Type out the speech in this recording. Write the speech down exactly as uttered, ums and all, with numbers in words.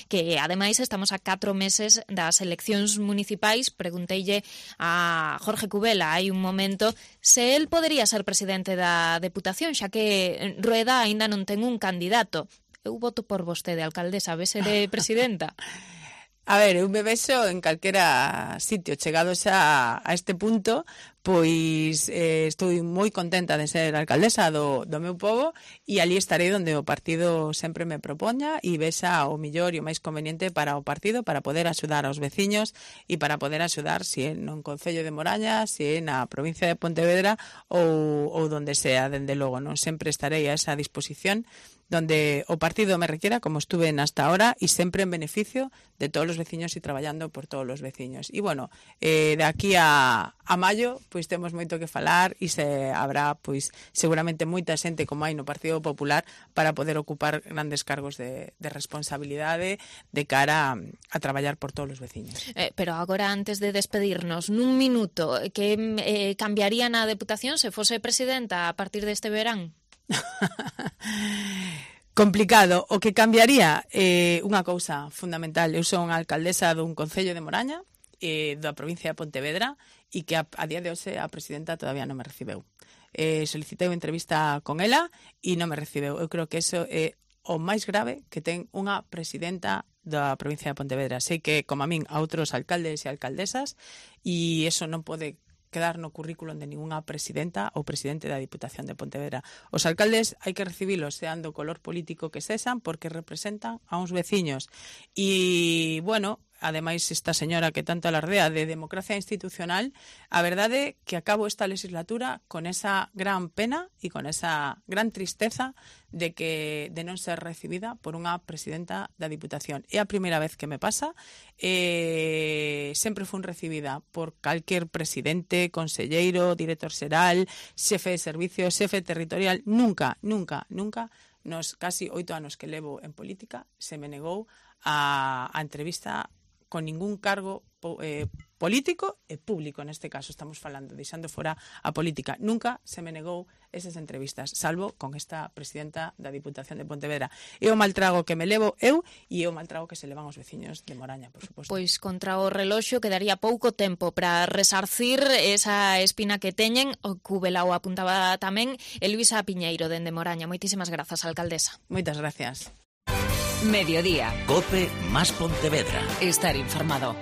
que ademais estamos a catro meses das eleccións municipais. Pregunteille a Jorge Cubela hai un momento se el podería ser presidente da Deputación, xa que Rueda aínda non ten un candidato. Eu voto por vostede, alcaldesa, a ver se de presidenta. A ver, eu me vexo en calquera sitio chegados a, a este punto, pois eh, estou moi contenta de ser alcaldesa do, do meu pobo e ali estarei onde o partido sempre me propoña e vexa o millor e o máis conveniente para o partido, para poder axudar aos veciños e para poder axudar se é no Concello de Moraña, se é na provincia de Pontevedra ou, ou donde sea, dende logo, non sempre estarei a esa disposición donde o partido me requiera, como estuve hasta ahora, e sempre en beneficio de todos os veciños e traballando por todos os veciños. E, bueno, eh, de aquí a, a maio, pois temos moito que falar e se habrá, pois, seguramente moita xente como hai no Partido Popular para poder ocupar grandes cargos de, de responsabilidade de cara a, a traballar por todos os veciños. Eh, pero agora, antes de despedirnos, nun minuto, que eh, cambiaría na Deputación se fose presidenta a partir deste verán? Complicado. O que cambiaría é eh, unha cousa fundamental. Eu son alcaldesa dun Concello de Moraña, eh, da provincia de Pontevedra, e que a, a día de hoxe a presidenta todavía non me recibeu. Eh, solicitei unha entrevista con ela e non me recibeu. Eu creo que eso é o máis grave que ten unha presidenta da provincia de Pontevedra. Sei que, como a min, a outros alcaldes e alcaldesas, e eso non pode quedar no currículum de ninguna presidenta ou presidente da Diputación de Pontevedra. Os alcaldes hai que recibilos sean do color político que sexan porque representan a uns veciños. E, bueno, ademais esta señora que tanto alardea de democracia institucional, a verdade que acabo esta legislatura con esa gran pena e con esa gran tristeza de que de non ser recibida por unha presidenta da Diputación. É a primeira vez que me pasa. Eh, sempre fun recibida por calquer presidente, conselleiro, director xeral, xefe de servicio, xefe territorial. Nunca, nunca, nunca, nos casi oito anos que levo en política, se me negou a, a entrevista con ningún cargo eh, político e público, neste caso estamos falando, deixando fora a política. Nunca se me negou esas entrevistas, salvo con esta presidenta da Diputación de Pontevedra. É o maltrago que me levo eu e é o maltrago que se levan os veciños de Moraña, por suposto. Pois contra o reloxo quedaría pouco tempo para resarcir esa espina que teñen. O Cubela o apuntaba tamén Elvisa Piñeiro, dende Moraña. Moitísimas grazas, alcaldesa. Moitas gracias. Mediodía. COPE más Pontevedra. Estar informado.